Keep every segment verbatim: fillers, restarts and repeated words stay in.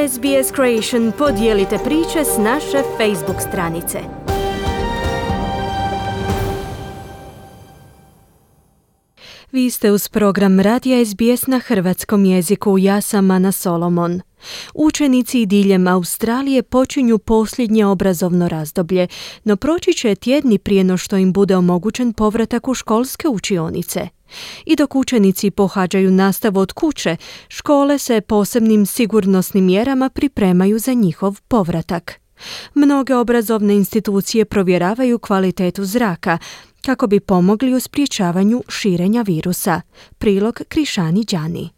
S B S Creation, podijelite priče s naše Facebook stranice. Vi ste uz program Radija S B S na hrvatskom jeziku. Ja sam Ana Solomon. Učenici diljem Australije počinju posljednje obrazovno razdoblje, no proći će tjedni prije no što im bude omogućen povratak u školske učionice. I dok učenici pohađaju nastavu od kuće, škole se posebnim sigurnosnim mjerama pripremaju za njihov povratak. Mnoge obrazovne institucije provjeravaju kvalitetu zraka kako bi pomogli u sprječavanju širenja virusa. Prilog Krišani Đani.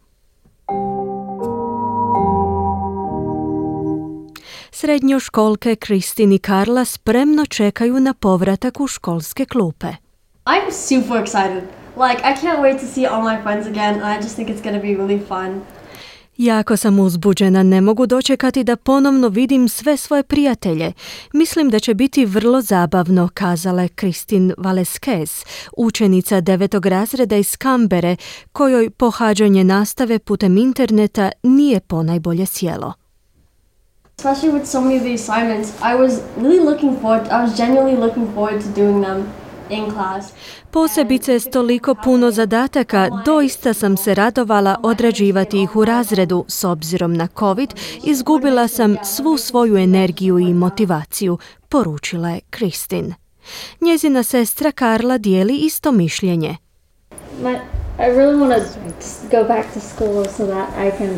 Srednjoškolke Kristin i Karla spremno čekaju na povratak u školske klupe. I'm super excited. Like, I can't wait to see all my friends again. I just think it's going to be really fun. Jako sam uzbuđena, ne mogu dočekati da ponovno vidim sve svoje prijatelje. Mislim da će biti vrlo zabavno, kazala je Kristin Valesquez, učenica devetog razreda iz Kambere, kojoj pohađanje nastave putem interneta nije ponajbolje sjelo. Especially with so many of the assignments, I was really looking forward, I was genuinely looking forward to doing them in class. Posebice s toliko puno zadataka, doista sam se radovala odrađivati ih u razredu. S obzirom na COVID, izgubila sam svu svoju energiju i motivaciju, poručila je Kristin. Njezina sestra Karla dijeli isto mišljenje. My, I really want to go back to school so that I can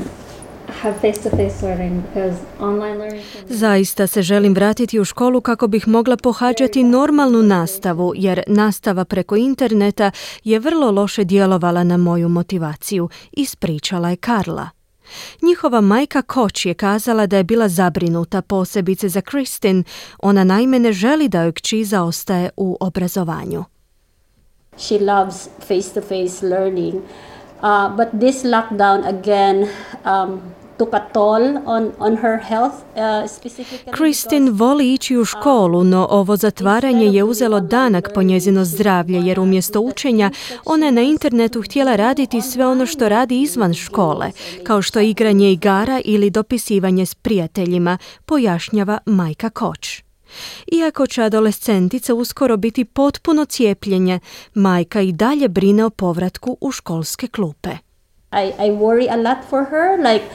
have face-to-face learning, because online learning... Zaista se želim vratiti u školu kako bih mogla pohađati normalnu nastavu, jer nastava preko interneta je vrlo loše djelovala na moju motivaciju, ispričala je Karla. Njihova majka Koč je kazala da je bila zabrinuta, posebice za Kristin. Ona naime ne želi da joj kći zaostaje u obrazovanju. She loves face-to-face learning, uh, but this lockdown again um, took a toll on, on her health, uh, specifically. Kristin voli ići u školu, no ovo zatvaranje je uzelo danak po njezino zdravlje, jer umjesto učenja ona je na internetu htjela raditi sve ono što radi izvan škole, kao što je igranje igara ili dopisivanje s prijateljima, pojašnjava majka Koč. Iako će adolescentica uskoro biti potpuno cijepljenje, majka i dalje brine o povratku u školske klupe. I, I worry a lot for her, like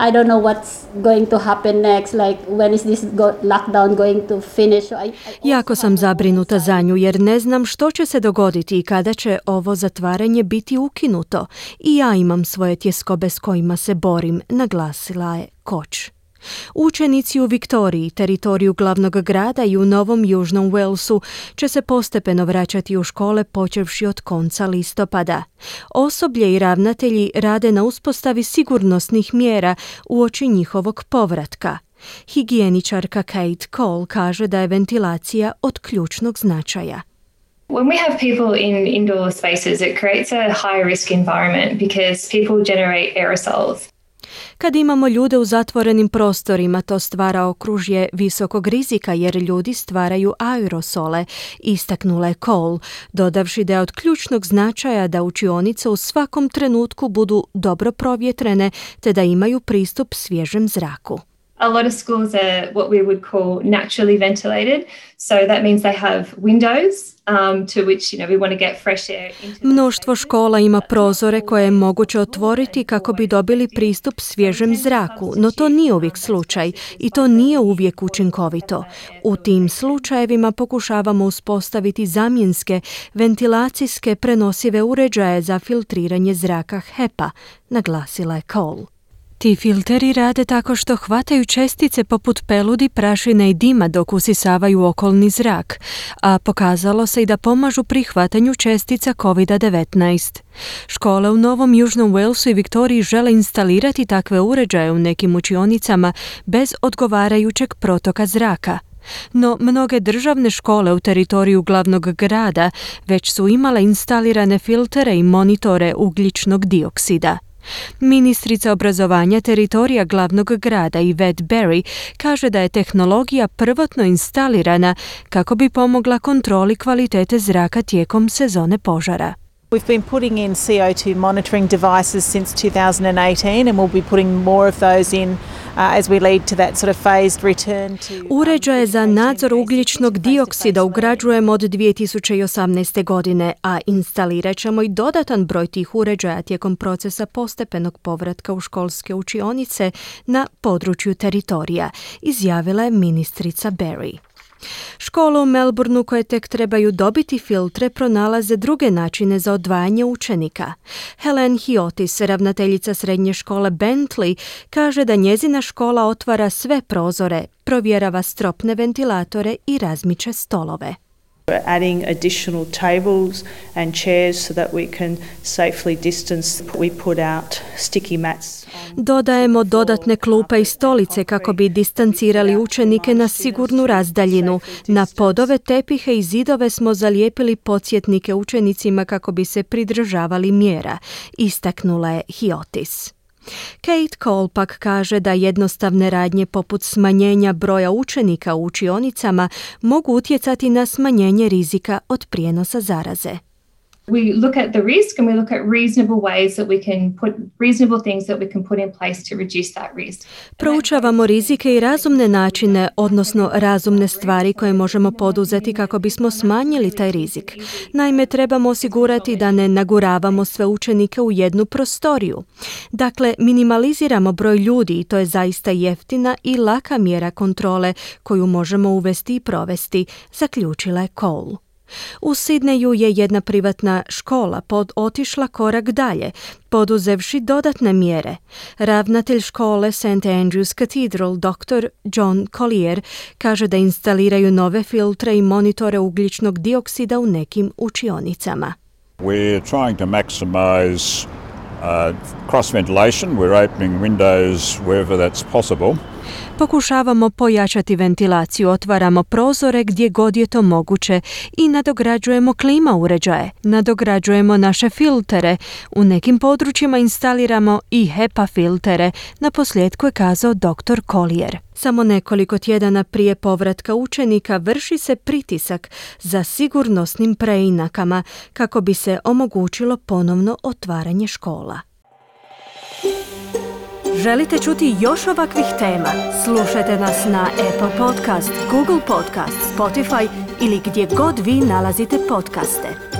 I don't know what's going to happen next, like when is this go- lockdown going to finish. I, I jako sam zabrinuta za nju jer ne znam što će se dogoditi i kada će ovo zatvaranje biti ukinuto. I ja imam svoje tjeskobe s kojima se borim, naglasila je Koč. Učenici u Viktoriji, teritoriju glavnog grada i u Novom Južnom Walesu će se postepeno vraćati u škole počevši od konca listopada. Osoblje i ravnatelji rade na uspostavi sigurnosnih mjera uoči njihovog povratka. Higijeničarka Kate Cole kaže da je ventilacija od ključnog značaja. When we have people in indoor spaces, it creates a high risk environment because people generate aerosols. Kad imamo ljude u zatvorenim prostorima, to stvara okružje visokog rizika jer ljudi stvaraju aerosole, istaknula je Cole, dodavši da je od ključnog značaja da učionice u svakom trenutku budu dobro provjetrene te da imaju pristup svježem zraku. A lot of schools are what we would call naturally ventilated, so that means they have windows um, to which, you know, we want to get fresh air into. Mnoštvo škola ima prozore koje je moguće otvoriti kako bi dobili pristup svježem zraku, no to nije uvijek slučaj i to nije uvijek učinkovito. U tim slučajevima pokušavamo uspostaviti zamjenske ventilacijske prenosive uređaje za filtriranje zraka H E P A, naglasila je Cole. Ti filteri rade tako što hvataju čestice poput peludi, prašine i dima dok usisavaju okolni zrak, a pokazalo se i da pomažu pri hvatanju čestica kovid devetnaest. Škole u Novom Južnom Walesu i Viktoriji žele instalirati takve uređaje u nekim učionicama bez odgovarajućeg protoka zraka. No mnoge državne škole u teritoriju glavnog grada već su imale instalirane filtere i monitore ugljičnog dioksida. Ministrica obrazovanja teritorija glavnog grada Yvette Berry kaže da je tehnologija prvotno instalirana kako bi pomogla kontroli kvalitete zraka tijekom sezone požara. We've been putting in C O two monitoring devices since two thousand eighteen and we'll be putting more of those in as we lead to that sort of phased return to... Uređaje za nadzor ugljičnog dioksida ugrađujemo od dvije tisuće osamnaeste. godine, a instalirat ćemo i dodatan broj tih uređaja tijekom procesa postepenog povratka u školske učionice na području teritorija, izjavila je ministrica Berry. Škole u Melbourneu koje tek trebaju dobiti filtre pronalaze druge načine za odvajanje učenika. Helen Hiotis, ravnateljica srednje škole Bentley, kaže da njezina škola otvara sve prozore, provjerava stropne ventilatore i razmiče stolove. We're adding additional tables and chairs so that we can safely distance. We put out sticky mats. Dodajemo dodatne klupe i stolice kako bi distancirali učenike na sigurnu razdaljinu. Na podove, tepihe i zidove smo zalijepili podsjetnike učenicima kako bi se pridržavali mjera, istaknula je Hiotis. Kate Cole pak kaže da jednostavne radnje poput smanjenja broja učenika u učionicama mogu utjecati na smanjenje rizika od prijenosa zaraze. We look at the risk and we look at reasonable ways that we can put reasonable things that we can put in place to reduce that risk. Proučavamo rizike i razumne načine, odnosno razumne stvari koje možemo poduzeti kako bismo smanjili taj rizik. Naime, trebamo osigurati da ne naguravamo sve učenike u jednu prostoriju. Dakle, minimaliziramo broj ljudi i to je zaista jeftina i laka mjera kontrole koju možemo uvesti i provesti, zaključila je Cole. U Sidneju je jedna privatna škola pod otišla korak dalje, poduzevši dodatne mjere. Ravnatelj škole Saint Andrew's Cathedral, doktor John Collier, kaže da instaliraju nove filtre i monitore ugljičnog dioksida u nekim učionicama. We're trying to maximize uh, cross ventilation. We're opening windows wherever that's possible. Pokušavamo pojačati ventilaciju, otvaramo prozore gdje god je to moguće i nadograđujemo klima uređaje, nadograđujemo naše filtere, u nekim područjima instaliramo i H E P A filtere, na posljedku je kazao doktor Collier. Samo nekoliko tjedana prije povratka učenika vrši se pritisak za sigurnosnim preinakama kako bi se omogućilo ponovno otvaranje škola. Želite čuti još ovakvih tema? Slušajte nas na Apple Podcast, Google Podcast, Spotify ili gdje god vi nalazite podcaste.